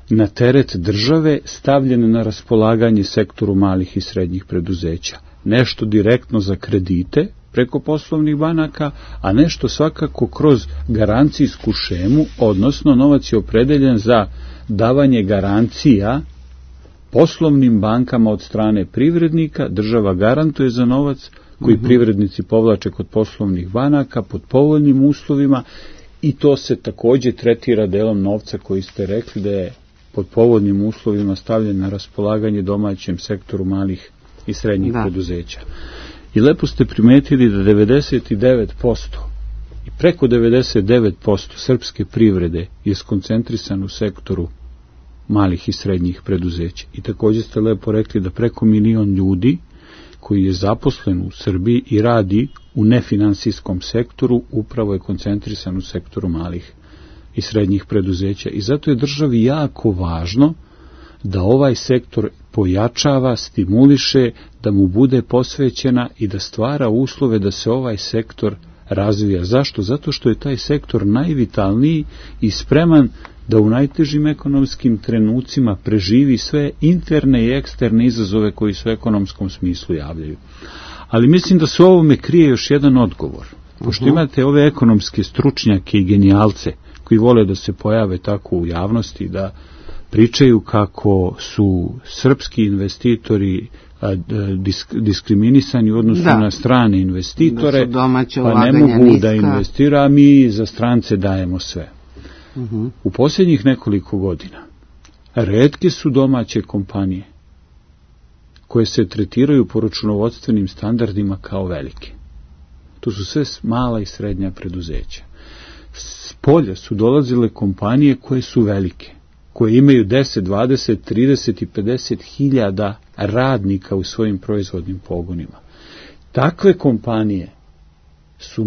na teret države stavljen na raspolaganje sektoru malih i srednjih preduzeća. Nešto direktno za kredite preko poslovnih banaka, a nešto svakako kroz garancijsku šemu, odnosno novac je opredeljen za davanje garancija poslovnim bankama od strane privrednika, država garantuje za novac koji mm-hmm. privrednici povlače kod poslovnih banaka pod povoljnim uslovima i to se također tretira delom novca koji ste rekli da je pod povoljnim uslovima stavljen na raspolaganje domaćem sektoru malih i srednjih da. preduzeća. I lepo ste primetili da devedeset devet posto i preko devedeset devet posto srpske privrede je skoncentrisan u sektoru malih i srednjih preduzeća. I također ste lepo rekli da preko milion ljudi koji je zaposlen u Srbiji i radi u nefinansijskom sektoru upravo je koncentrisan u sektoru malih i srednjih preduzeća. I zato je državi jako važno da ovaj sektor pojačava, stimuliše, da mu bude posvećena i da stvara uslove da se ovaj sektor razvija. Zašto? Zato što je taj sektor najvitalniji i spreman da u najtežim ekonomskim trenucima preživi sve interne i eksterne izazove koji se u ekonomskom smislu javljaju. Ali mislim da se u ovome krije još jedan odgovor. Pošto imate ove ekonomske stručnjake i genijalce koji vole da se pojave tako u javnosti, da pričaju kako su srpski investitori a, disk, diskriminisani u odnosu da. na strane investitore, da pa ne mogu niska. da investira, a mi za strance dajemo sve. Uh-huh. U posljednjih nekoliko godina retke su domaće kompanije koje se tretiraju po računovodstvenim standardima kao velike. To su sve mala i srednja preduzeća. S polja su dolazile kompanije koje su velike, koje imaju deset, dvadeset, trideset i pedeset hiljada radnika u svojim proizvodnim pogonima. Takve kompanije su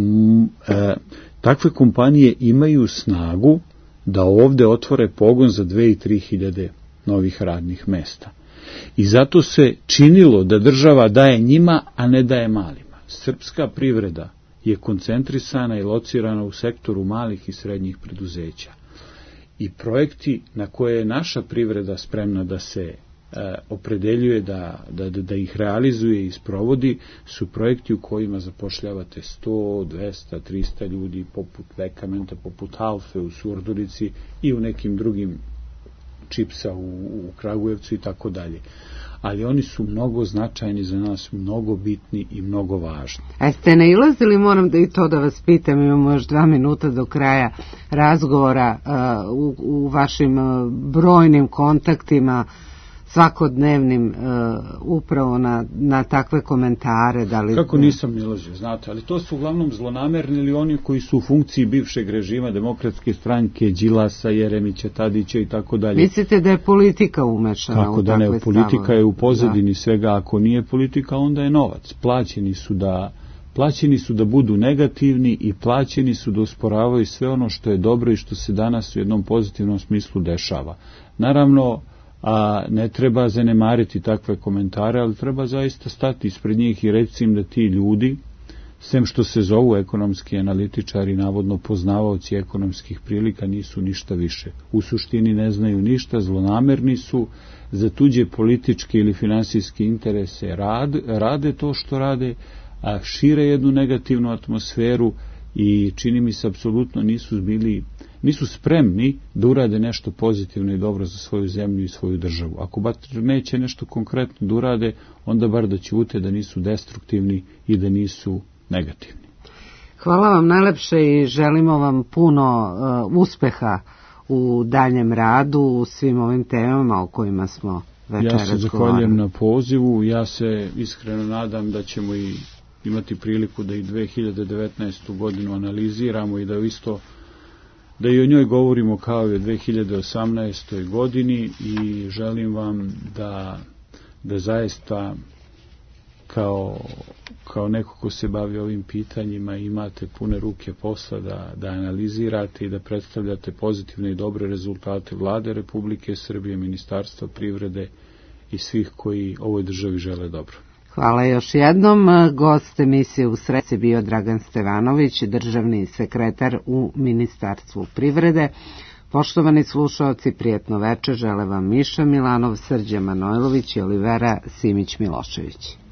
e, takve kompanije imaju snagu da ovde otvore pogon za dve i tri hiljade novih radnih mesta. I zato se činilo da država daje njima, a ne daje malima. Srpska privreda je koncentrisana i locirana u sektoru malih i srednjih preduzeća. I projekti na koje je naša privreda spremna da se e, opredeljuje, da, da, da ih realizuje i sprovodi, su projekti u kojima zapošljavate sto, dvesta, trista ljudi, poput Vekamenta, poput Alfe u Surdurici i u nekim drugim Čipsa u, u Kragujevcu i tako dalje. Ali oni su mnogo značajni za nas, mnogo bitni i mnogo važni. A ste nailazili, moram da i to da vas pitam, imamo još dva minuta do kraja razgovora, uh, u, u vašim uh, brojnim kontaktima, svakodnevnim, uh, upravo na, na takve komentare. Da li... Kako nisam nilazio, znate, ali to su uglavnom zlonamerni ili oni koji su u funkciji bivšeg režima, Demokratske stranke, Đilasa, Jeremića, Tadića i tako dalje. Mislite da je politika umešana tako u da takve ne, politika stavove? je u pozadini da. svega, ako nije politika, onda je novac. Plaćeni su da plaćeni su da budu negativni i plaćeni su da usporavaju sve ono što je dobro i što se danas u jednom pozitivnom smislu dešava. Naravno, a ne treba zanemariti takve komentare, ali treba zaista stati ispred njih i reći im da ti ljudi, sem što se zovu ekonomski analitičari, navodno poznavaoci ekonomskih prilika, nisu ništa više. U suštini ne znaju ništa, zlonamerni su, za tuđe političke ili finansijske interese rad, rade to što rade, a šire jednu negativnu atmosferu i čini mi se apsolutno nisu bili nisu spremni da urade nešto pozitivno i dobro za svoju zemlju i svoju državu. Ako bar neće nešto konkretno da urade, onda bar da ćute da nisu destruktivni i da nisu negativni. Hvala vam najlepše i želimo vam puno uh, uspeha u daljem radu, u svim ovim temama o kojima smo večeras govorili. Ja se zahvaljujem na pozivu, ja se iskreno nadam da ćemo i imati priliku da i dve hiljade devetnaestu godinu analiziramo i da isto da i o njoj govorimo kao i o dve hiljade osamnaestoj godini i želim vam da, da zaista kao, kao neko ko se bavi ovim pitanjima imate pune ruke posla da, da analizirate i da predstavljate pozitivne i dobre rezultate Vlade Republike Srbije, Ministarstva privrede i svih koji ovoj državi žele dobro. Hvala još jednom. Gost emisije U sredi bio Dragan Stevanović, državni sekretar u Ministarstvu privrede. Poštovani slušaoci, prijetno večer žele vam Miša Milanov, Srđan Manojlović i Olivera Simić-Milošević.